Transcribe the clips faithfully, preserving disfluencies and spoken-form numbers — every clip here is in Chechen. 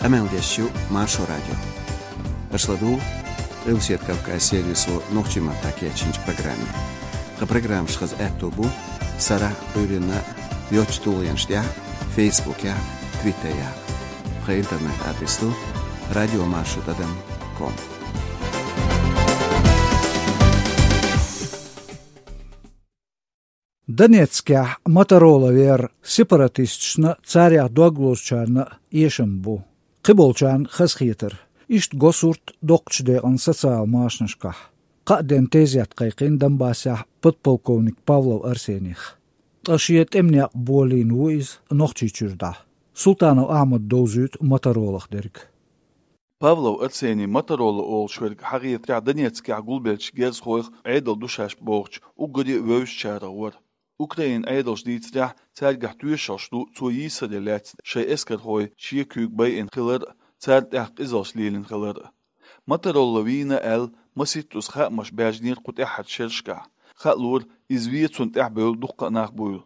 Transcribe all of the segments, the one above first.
Къамел деш ю Маршо радио. Аша ладугӀу Къилбаседа Кавказ сервисо нохчийн маттахь кечйинчу программе. Тхан программаш хаза аьтто бу сарахь, Ӏуьйранна йоцчу тулгӀенаш тӀехь, Фейсбукехь, Твиттерехь. Тхан интернет-адрес ду радиомаршо тӀадам ком. Донецкехь Моторола вер сепаратисташна, царех дог лозучарна эшам бу. Кхиболчарна хазахетар. Иштта го сурт доккхачу декъана социал машанашкахь. Кхаа денна тезет кхайкхина Донбассехь подполковник Павлов Арсених. Ткъа шен тӀеман некъ болийна ву иза Нохчийчуьра дӀа. Султанов Ахьмада довзуьйту Моторолах дерг. Павлов Арсений Моторола олуш верг хьахетарехь Донецкехь гулбеллачу герзахойх Ӏедал ду шаьш бохучу уггаре а вевзачарах вара. Украинан Ӏедалша дийцарехь, цаьргахь тоьшаллаш ду цо йийсаре лаьцна шайн эскархой шен куьйга байина хилар а, царна тӀехь къизаллаш лелийна хилар а. Моторола вийна аьлла, масийттаза хаамаш баьржинера кху тӀаьххьарчу шерашкахь. Хаалора, иза вен цунна тӀаьхьабевлла дуккха а нах буйла.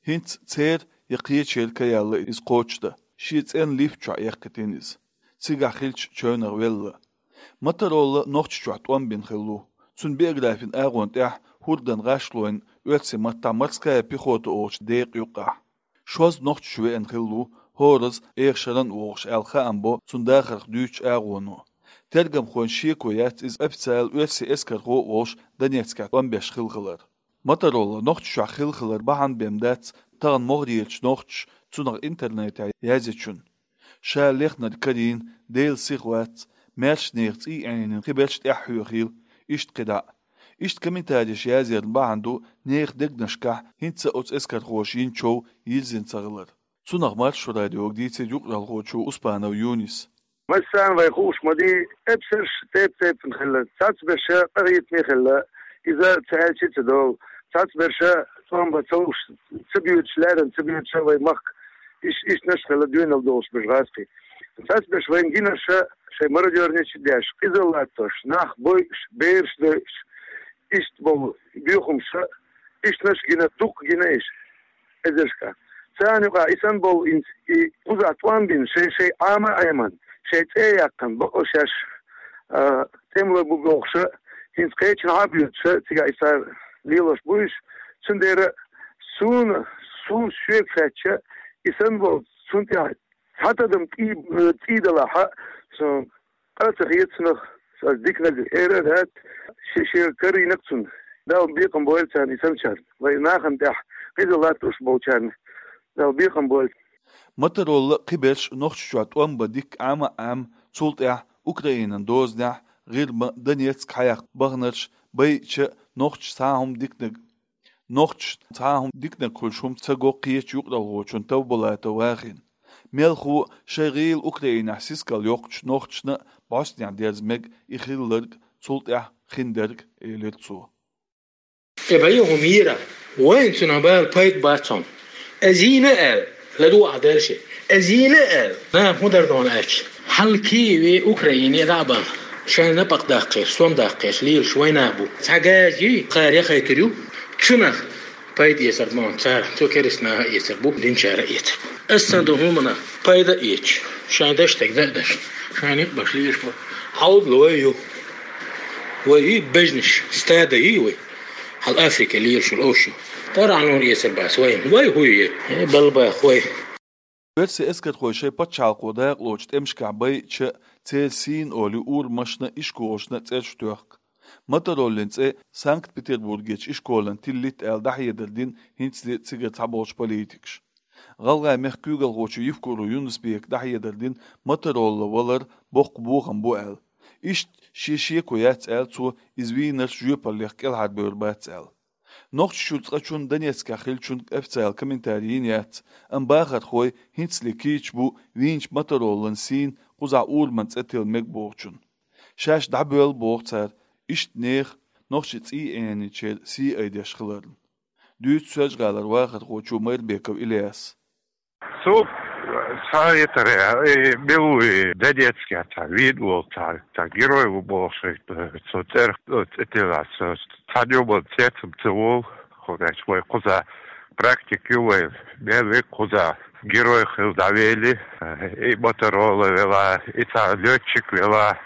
ХӀинца церан я кхечеран ка яьлла иза кхочушдан, шен цӀенна лифта чохь эккхийтина иза. Цигахь хиллачу чевнах велла. Моторола Нохчийчохь тӀом бина хилла ву. Цуьнан биографин агӀонна тӀехь хӀордан гӀашлойн оьрсийн маттахь «Морская пехота» олучу декъа юккъехь. Шозза Нохчийчу веана хилла ву, хӀоразза эха шарна а вогӀуш аьлла, хаам бо цуьнан дахарх дуьйцучу агӀоно. Тергамхойн шеко яц иза официалан оьрсийн эскархо а волуш Донецкехь тӀом беш хилла хилар. Моторола Нохчийчохь хилла хилар бахьана бен дац тахана могӀарерчу нохчаша цунах интернетехь язйинчунна. Ша лехнарг карийна, Делан сиха вац, маьрша нехан цӀий Ӏенийна кхиберш тӀаьхьахьоьхийла, иштта кхидӀа а. Иштта комментареш язъярна бахьана ду нехан дегнашкахь хӀинца а оцу эскархоша йина чов йирзина ца хилар. Цунах Маршо радиога дийцира юкъаралхочо Успанов Юниса. Массарна вай хууш ма ду, эпсарш тайп-тайпана хилла, цхьацца берш къахетаме хилла, иза ца аьлча а ца довла, цхьацца берш тӀом бан ца луш, ца боьдуш, лаьррина ца боьдуш вай махка, иш-, ишттанаш хилла доьналла долуш берш гӀазкхий. Цхьацца берш вайна гинарш шайн мародёрнаш а деш, къизалла латтош, нах бойуш, бераш дойуш, иштта болу боьхамаш, ишттанаш гина, дуккха гина иша. Эзаршка. Царна юкъахь и санна болу хӀинца, и кхузахь тӀом бина, шайн-шайн Ӏама а Ӏемина, шайн цӀе а яьккхина, бакъо шаьш, а, тӀемалой бу бохуш, хӀинца кхечанхьа а боьдуш, цигахь и цара лелош бу уьш. Цундела суна, суна шега хаьттича, и санна болу, цунна тӀехь цхьа тадам тӀе-, тӀе далахь а, со къа ца хета цунах, аса диканиг эр а дац, ши-, шен карийнарг цунна. Дала бекхам бойла царна и санначарна. Вай нахана тӀехь къиза латтош болчарна Дала бекхам бойла. Моторола кхиберш Нохчийчохь тӀом бан дикка Ӏама а Ӏемина, цул тӀаьхьа Украинан дозанехь, ГӀирма, Донецк хьаяккха баханарш байича, нохчашна цхьа а хӀума диканиг Нохчашна цхьа а хӀума диканиг хуьлуш хӀума ца го кхечу юкъаралхочунна Тавбулатов Вахина. Мелхо а шайн гӀийла Украинехь сискал йоккхучу нохчашна а бӀостанехь дерза мега и хилларг, цул тӀаьхьа хиндерг, элира цо. Тхо бен ю хӀума йийр, вайна цунах бала пайда бац хьуна. Ас йийна аьлла, ладугӀу ахь дальше. Ас йийна аьлла, нах хӀун дар дуьйна аьлча, хьалхе вай Украине дӀа а бахна, шайн напакъ даккхеш, сом даккхеш лелаш вай нах бу. Цхьа газа йий, кхара яхайтур ю, цунах пайда эцар ма ван цара, цу керста наха а эцар бу, динчара а эцар бу. Ас санна долу хӀуманах пайда а эцаш, шайн дашна стаг дан а дашна, шайн некъ беш лелаш бу. Хьалдала вай ю. Вай йий бежнаш, стада йий вай. Хьал Африке лелаш йолу овш ю. ТӀарахь нур эцар бац вайна. Вай хӀу ю? Э, балбах вай. Оьрсийн эскархой шайн пачхьалкхо дакъалоцу тӀемашкахь байича, церан сийна олий урамашна а, ишколашна а цӀераш тоьхку. Мотороллин цӀе Санкт-Петербургерчу ишколана тиллийта аьлла дӀахьедар дина хӀинцале а цигара цхьаболчу политикаша. ГӀалгӀайн мехкан куьйгалхочо Евкуров Юнус-Бека дӀахьедар дина Моторолла валар боккха бохам бу аьлла. Иштта шен шеко яц аьлла цо иза вийнарш жоьпаллех кӀелхьарбевр бац аьлла. Нохчийчуьра цкъачунна Донецкехь хиллачуьнга официалан комментарий йина яц, амма бахархой хӀинцале кийча бу вийначу Мотороллан сийна кхузахь ураман цӀе тилла мега бохучунна. Шаьш дӀабоьлла боху цара, иштта нехан нохчийн цӀий Ӏенийначеран сий айдеш хиларна. Дуьйцу Соьлжа-ГӀалара вахархочо Майрбеков Ильяса. Цо схьахетарехь, э, мила ву и Донецкехь цхьа вийна волу цхьа, цхьа герой ву бохуш, э, цо цӀерах, э, цӀе тиллина, цо цхьана юкъа цецам ца волу, хӀунда аьлча вай кхузахь практика ю вайн, мел вега кхузахь Герой хилла дӀавели, и Моторола вела, и цхьа лётчик вела,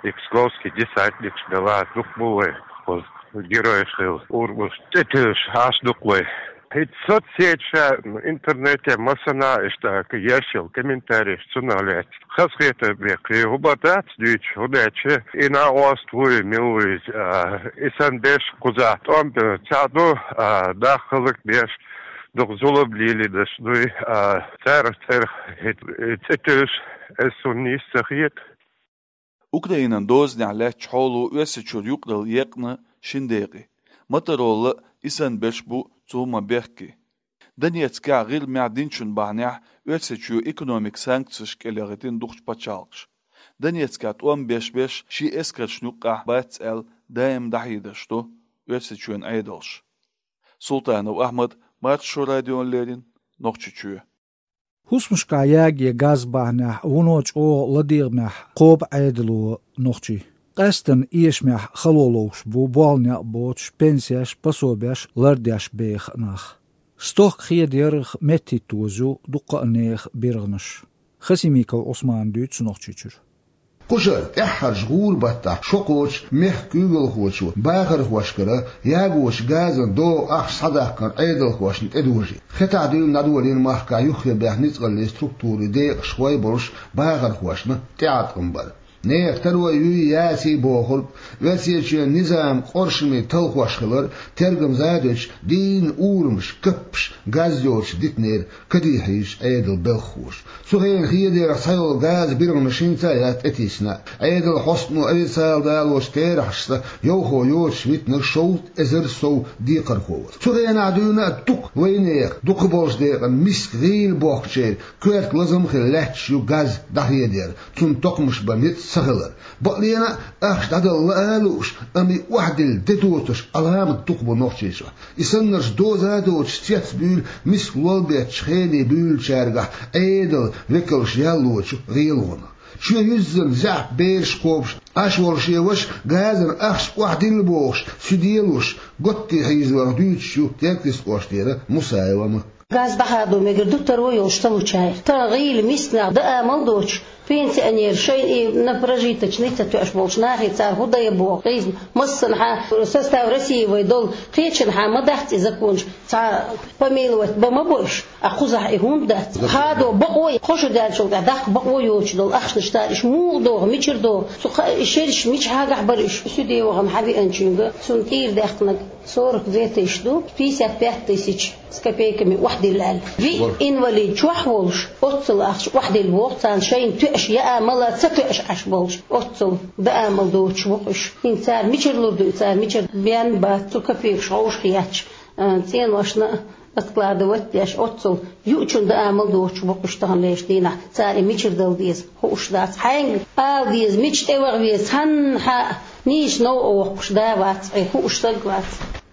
и псковский десантник вела, дукха бу вай кхуза герой хилла, урамаш тӀетуьллуш Ӏаш дукха вай. ХӀинца соцсеташа, интернете массанхьа иштта еш йолу комментарийш цунах лаьцна. Хазахетар беккхий, хӀун бара дац дуьйцуш, хӀунда аьлча и накъост вуй, мила вуй иза, а, и санна берш кхузахь тӀом бен ца ду, а, нах хӀаллакбеш, дукха зулам лелийнарш дуй, а, царах цӀерах хӀета, э, цӀе туьллуш, эс хӀунда нийса ца хета. Украинан дозанехь лаьттачу хьоло Оьрсийчуьра юкъаралла екъна шина декъе. Моторола а, и санна берш бу цу хӀуманна бехке. Донецкехь ГӀирмехь динчун бахьанехь Оьрсийчоь экономикан санкцеш кӀелъяхийтина дукхачу пачхьалкхаша. Донецкехь тӀом беш берш шен эскаршна юккъехь бац аьлла, даим дӀахьедарш до Оьрсийчоьнан Ӏедалша. Султанов Ахьмад, Маршо радиона леррина, Нохчийчоь. ХӀусамашкахь яге газ бахьанехь вуно чӀогӀа ладегӀамехь кхобу Ӏедало нохчий. Къаьсттина эшамехь хало ловш бу болх некъ боцуш, пенсеш, пособеш лардеш беха нах. Стохка хеда ярах меттахӀитта дозу дуккха а нехан биргӀанаш. Хасимиков Ӏусмана дуьйцу Нохчийчуьра. Кхушара тӀаьххьарчу гӀуран баттахь шо кхочу мехкан куьйгалхочо бахархошкара ягочу газан догӀан ахча схьадаккхар Ӏедалхошна тӀедожийна. Хетахь дуьйна дӀадолийна махкахь юххе баьхна ницкъаллийн структурийн декъашхой болуш бахархошна тӀеӀаткъам бар. Нехан таро юй, яций бохург, Оьрсийчоьнан низаман къоршаме талхош хилар, тергамза а дуьтуш, дийнна урамаш, каппаш газ йоцуш дитинера кадехьийчу Ӏедалан белхахоша. Цу хенахь хедарах цхьайолу газан биргӀанаш хӀинца а яц тӀетийсина. Ӏедалан хьостано официалан далочу терахьашца йовхо йоцуш витинарг шовзткъа эзар сов декхархо вара. Цу хенахь дуьйна а дукха вайнехан, дукхахболчу декъана миска гӀийла бохкучеран коьрта лазам а хилла лаьтташ ю газ дӀахедар, цунна токхамаш бан ницкъ ца хилар. Бакъдерг а, ахча дӀадала лаа а лууш, амма и охьадилла де доцурш Ӏаламат дукха бу Нохчийчохь. И саннарш доза а доцуш цецбуьйлу миска лол беттачу хене буьйлучаьргахь Ӏедалан векалша яллочу гӀелонах. Чоь юьззина заьӀап бераш кхобуш Ӏаш волу шен ваша газан ахча охьадилла бохуш, суьде луш, готте хьийзорах дуьйцуш ю Теркйистан кӀоштара Мусаева Ма. Газ дӀахадо мегар ду таро йолуш ца лучара. Тахана гӀийла миска нах даа мел доцуш, пенсионер, шайна и на прожиточный ца тоьаш болчу нахе цара хӀун дайа боху, хьийза массанхьа состав России вай долу, кхечанхьа ма дац и законаш, цхьа помиловать бан ма бу уьш, а кхузахь и хӀунда дац? Хадо бакъо, кхо шо даьллачул тӀаьхьа даккха бакъо йоцуш долу ахчанаш цара, уьш муха догӀу, мичара догӀу? Цу кха-, и шераш мичахьа гахь бара уьш, суьде вахана хьан веанчуьнга, цунна тӀера даьккхинарг сорок две тысячи ду, пятьдесят пять тысяч с копейками охьадилла аьлла. Виъ инвалид чохь волуш, оццул ахча охьадилла боху царна, шайна тоьаш яа мала ца тоьаш Ӏаш болуш, оццул даа мел доцуш бу-кх уьш. ХӀинца цара мичара лур ду, цара мичара бен бац, цу копейкаш хьовшахъетташ, а, цӀеношна а откладывать деш, оццул юучун даа мел доцуш бу-кх уьш таханлерчу дийнахь, цара и мичара дала деза хууш дац. Хьаьнга ала деза, мича тӀе ваха веза, цхьаннахьа нийса новкъа воккхуш да вац, хье хууш стаг вац.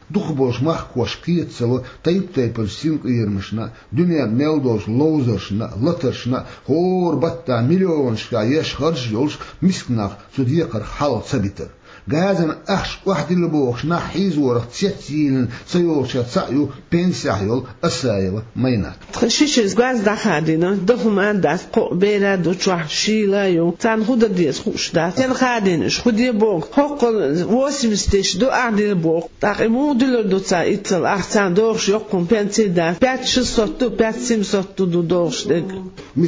Дукхахболчу махкахошка кхета ца ло тайп-тайпанчу синкъерамашна а, дуьненна мел долчу ловзаршна а, латаршна а, хӀора баттахь миллионашкахь еш харж а йолуш, миска нах цу декхарх хьалха ца битар. Газан ахча охьадилла бохуш нах хьийзорах цецйийлина ца йолчех цхьаъ ю пенсехь йолу Асаева Майнат. Тхан шишиз газ дӀахадийна, дан хӀума а дац, кхоъ бер а ду чохь, шийла а ю. Царна хӀун дан деза хууш дац. Стенна хадийна уьш, хӀун де боху? ХӀоккхул восемьдесят тысяч ду ахьа дилла боху. ТӀаккха и муха дуьллур ду цара иццал? Ахь царна догӀуш йоккхун пенсий дац. Пять шестьсот ду, пять семьсот ду, ду догӀуш дерг.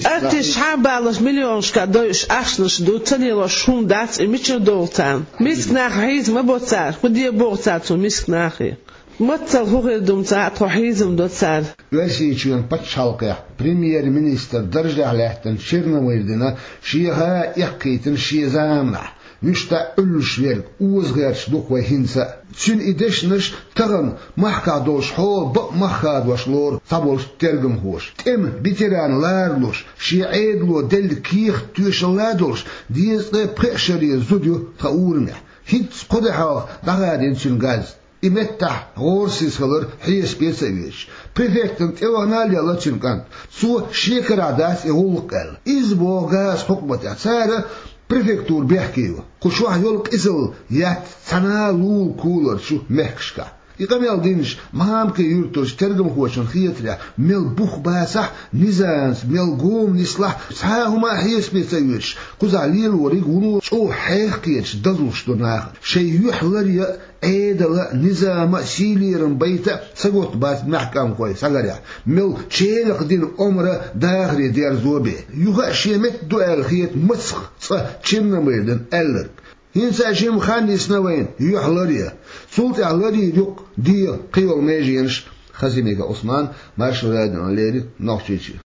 Аттиш хьан балаш миллионашка дойуш ахчанаш ду, ца лелош хӀума дац, и мичара догӀу царна? Миска нах хьийза ма бо цара, хӀун де боху цара цу миска нахе? Маццал хӀун хир ду-м цхьа а, тхо хьийзам до цара. Оьрсийчоьнан пачхьалкхехь премьер-министр даржехь лаьттина Черномырдина шен гӀа эккхийтина шен заманахь, вуьшта Ӏуьллуш верг оза гӀерташ ду-кх вай хӀинца а. Цуьнан и дешнаш тахана махкахь долуш хьола бакъ мах хадош лору цхьаболчу тергамхоша. ТӀеман ветеран ларалуш, шен Ӏедало делла кехат тоьшалла а долуш, дезткъе пхеа шаре зуда ю тхан урамехь. ХӀинцца кхо де хьалха дӀахадийна цуьнан газ. И меттахь гӀорасиз хилар хьесапе а ца оьцуш, префектана тӀе вахана а лелла цуьнан кӀант. Цо шен карахь дац и гӀуллакх аьлла. Иза боху газан хьукматехь. Цара префектура бехке йо. Кху чохь йолу къизалла ятта цхьана а лулахь куларчу мехкашкахь. И къамел динчу Махьамадкхи юьртарчу тергамхочунна хетарехь, мел бух бацахь а, низамца мел гома нислахь а, цхьа а хӀума хьесапе ца оьцуш, кхузахь лелориг вуно чӀогӀа хьехкхеташ дазлуш ду нах. Шайн юьхь ларъян а, Ӏедалан а, низаман а сий-лерам байта а сагатта бац маьхкамхой схьаларъяхь, мел челакх дина омра дахаре дерзо бен. Юха а шен метта ду аьлла хета мацах цкъа Черномырдин аьлларг. ХӀинца а жима хан йисна вайна юьхь ларъян. Цул тӀаьхьа ларйийр ю-кх дегӀан кхийолу меженаш. Хасимиков Ӏусман, Маршо радиона леррина, Нохчийчоь.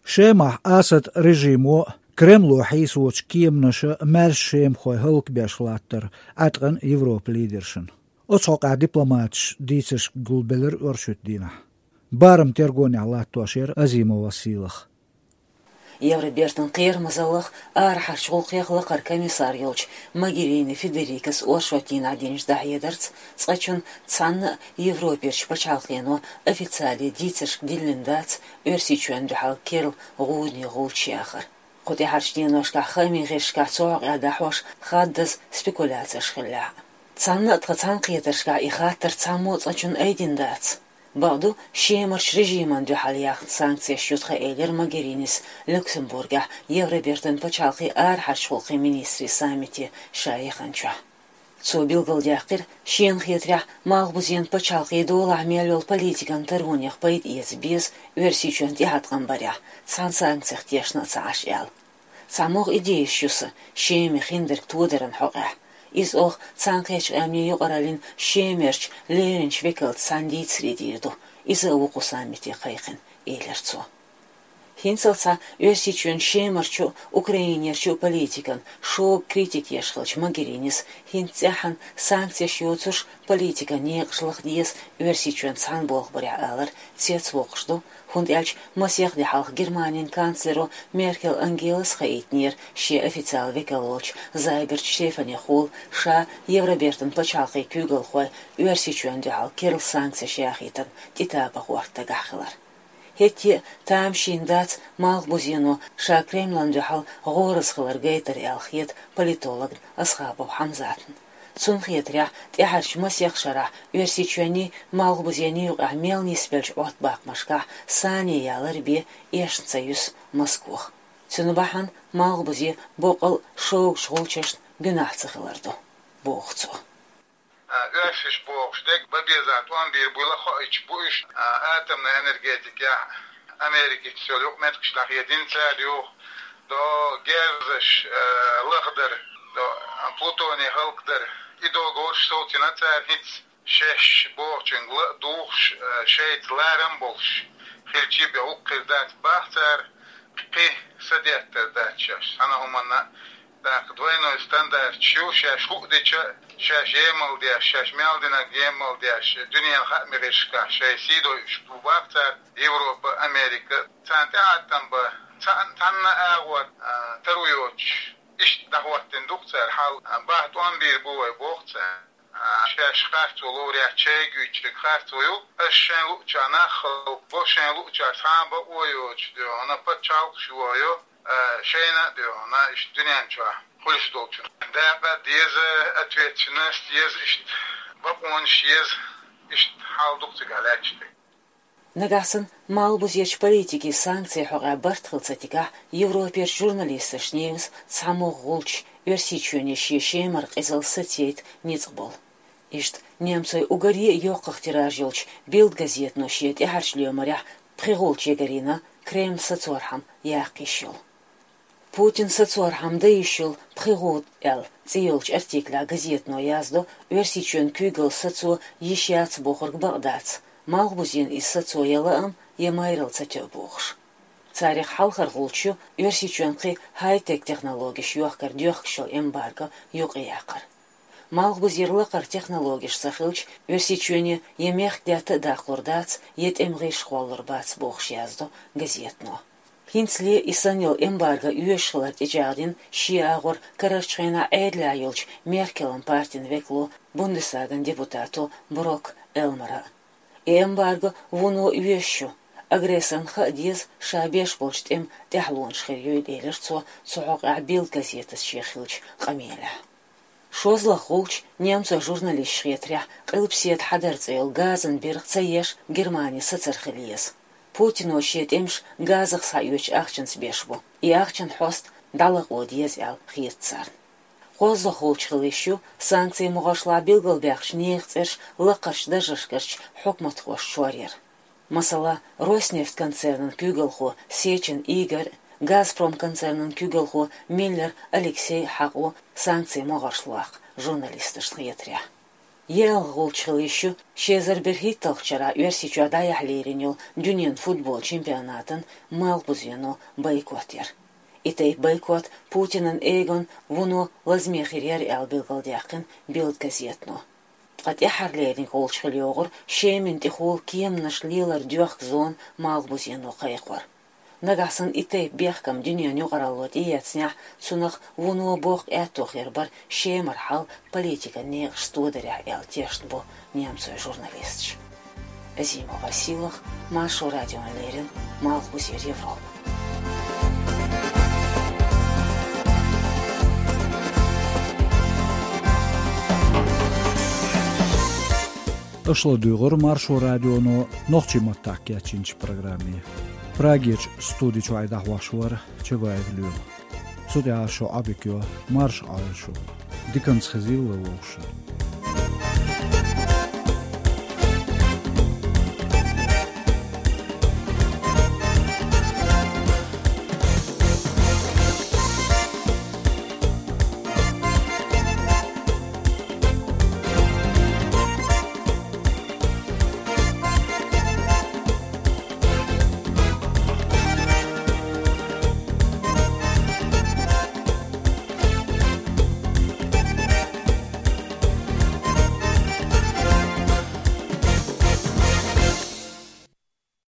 Шемахь Асадан режимо а, Кремло хьийсочу кеманаша а маьрша шемахой хӀаллакбеш латтар Ӏаткъина Европан лидершна. Оцу хьокъехь дипломаташа дийцарш гулбелира оьрсуьйту дийнахь. Барам тергонехь латтош яра Азимов Василах. Евробертан кхерамазаллах, арахьарчу гӀуллакхех лакхара комиссар йолчу Могерини Федерикас оршотдийнахь динчу дӀахьедарца, цкъачунна цхьанна а Европерчу пачхьалкхено официале дийцаршка диллина дац Оьрсийчоьнна дуьхьал керла гӀудане гӀулч яхар. Кху тӀаьхьарчу деношкахь хаамийн гӀирсашкахь цу хьокъехь дӀахьош хаддаза спекуляцеш хиллехь а. Цхьанна а тхан цхьаьнакхетаршкахь и хаттар цхьаммо а цкъачунна айдина дац. Бакъду, Шемарчу режимана дуьхьал яьхна санкцеш ю тхан, элира Могеринис Люксембургехь Евробертан пачхьалкхийн арахьарчу гӀуллакхийн министрийн саммите ша яханчохь. Цо билгалдаьккхира, шена хетарехь, Малхбузен пачхьалкхе долахь мел йолу политикан таронех пайда эца беза Оьрсийчоьнна тӀеӀаткъам барехь, цхьана санкцех тешна а ца Ӏаш аьлла. Цхьа могӀа идеяш ю сан Шеман хиндерг тодаран хьокъехь. Иза оха Цхьаьнакхеттачу Къаьмнийн юкъараллин Шемерчу леринчу векалца цхьаьна дийцаре дийр ду. Иза а ву кху саммите кхайкхина, элира цо. ХӀинцалц а Оьрсийчоьнан Шемарчу а, Украинерчу а политикан шога критика еш хиллачу Могеринис хӀинца цӀеххьана санкцеш йоцурш политикан некъаш лаха деза Оьрсийчоьнца цхьаьна болх барехь алар цецвоккхуш ду, хӀунда аьлча масех де хьалха Германин канцлеро Меркел Ангелас хаийтинера шен официалан векал волчу Зайберт Штефанехула ша Евробертан пачхьалкхийн куьйгалхой Оьрсийчоьнна дуьхьал керла санкцеш яхийтарна тӀетапа гӀорта дагахь хилар. ХӀетте а тамашийна дац Малхбузено ша Кремлана дуьхьал гӀораза хилар гайтар аьлла хета политологна Асхабов Хьамзатна. Цунна хетарехь, тӀаьхьарчу масех шарахь Оьрсийчоьнний, Малхбузенний юкъахь мел нисбеллачу Ӏоттабаккхамашкахь сане ялар бен эшна ца юьсу Москох. Цуьнан бахьана Малхбузе боккъал а шогачу гӀулчашна гуьнахь ца хилар ду, боху цо. А, оьшуш бохуш дерг бан безахь тӀом бийр буйла хоуьйтуш бу уьш, а, атомный энергетикехь Америкица йолу юкъаметтигаш дӀахедина цара юха. До герзаш, а, лахдар, до, а, плутоний хӀаллакдар. И договорш совцийна цара хӀинца шаьш бохучуьнга ла а духуш, а, шайца ларам а болуш хилчий бен, хӀокху хир дац бах цара, кхин са деттар дац шаьш. Цхьана хӀуманна тӀаккха двойной стандарт ю, шаьш хӀуъа дича, шаьш емал деш, шаьш мел динарг емал деш, дуьненан хаамийн гӀирсашкахь шайн сий дойуш бу бах цара, Европа, Америка. Царна тӀеӀаткъам бан, цхьа-, цхьанна а агӀор, а, таро йоцуш, иштта дӀахӀоттийна ду-кх цара хьал, а, бах тӀом бийр бу вай, боху цара. А, шаьш харцо ловрехь чайгуьйчуьнга харцо ю, аш шайн луъучохь нах хӀаллакбо, шайн луъучохь цхьа а бакъо йоцуш дуьйхьуна пачхьалкхаш йохайо, а, шайна а дуьйхьуна иштта дуьнен чохь хуьлуш долчунна. Дакъа деза, ответственность еза, иштта бакъонаш еза, иштта хьал ду-кх цигахь лаьтташ дерг. Нагахь санна Малхбузерчу политикийн санкцийн хьокъехь барт хила ца дигахь, Европерчу журналисташна евза цхьа могӀа гӀулч, Оьрсийчоьне шен Шемара къизалла сацийта ницкъ болу. Иштта немцойн уггаре а йоккхах тираж йолчу Билд газетано шен тӀаьхьарчу лоьмарехь пхи гӀулч ягарйина Кремль сацорхьама яккха йиш йолу. Путин сацорхьама дан йиш йолу пхи гӀуда аьлла цӀе йолчу артиклехь газетано яздо, Оьрсийчоьнан куьйгалла сацо йиш яц бохург бакъ дац, Малхбузен иза сацо я лаам, я майралла ца тоьу бохуш. Царах хьалхара гӀулч ю Оьрсийчоьнна кхин хай-тек технологеш йохкар доьхкуш йолу эмбарго юкъаяккхар. Малхбузера лакхара технологеш ца хилча, Оьрсийчоьне я мехкдаьтта а даккхалур дац, я тӀеман гӀирс кхоллалур бац, бохуш яздо газетано. ХӀинцале и санна йолу эмбарго оьшуш хилар тӀечӀагӀдина шен агӀор карарчу хенахь Ӏедалехь йолчу Меркелан партин векало, Бундестаган депутато Брок Элмара. И эмбарго вуно оьшуш ю, агрессорна хаа деза ша беш болчу тӀеман тӀаьхьалонаш хир юй, элира цо цу хьокъехь Билд газетаца шен хиллачу къамелехь. ШозлагӀа гӀулч немцойн журналисташа хетарехь, Къилбаседа хьадар цӀе йолу газан биргӀа ца еш Германи сацар хила еза. Путино шен тӀемаш газах схьаоьцучу ахчанца беш бу. И ахчанан хьоста дӀалакъо деза аьлла хета царна. КхозлагӀа гӀулч хила йиш ю санкцийн могӀаршлахь билгалбаьккхинчу нехан цӀераш лакхарчу даржашкарчу хьукматхошна чор яр. Масала, Роснефть концернан куьйгалхо Сечин Игорь, Газпром концернан куьйгалхо Миллер Алексей хьакъ ву санкцийн могӀаршлахь журналисташна хетарехь. ЙоьалгӀа гӀулч хила йиш ю ши эзар берхӀитталгӀачу шарахь Оьрсийчохь дӀаяхьа лерина йолу дуьненан футбол чемпионатан малхбузено бойкот яр. И тайпа бойкот Путинан эгон вуно лазаме хир яра аьлла билгалдаьккхина Бильд газетано. Ткъа тӀаьххьарлерниг гӀулч хила йогӀура Шемина тӀехула кеманаш лелар доьхку зона малхбузено кхайкхор. Нагахь санна и тайпа бехкам дуьненан юкъаралло тӀеэцнехь, цунах вуно боккха аьтто хир бара Шемара хьал политикан некъашца тодарехь аьлла тешна бу немцойн журналисташ. Азимова Сийлаха, Маршо радиона леррина, Малхбузера Европа. Аша ладуьйгӀура Маршо радионо нохчийн маттахь кечйинчу программе. Прагерчу студи чуьра дӀахьош вара Чабаев Лоьма. Цу тӀехь шун Ӏодика йо, марша Ӏойла шу. Диканца хезийла вовшашна.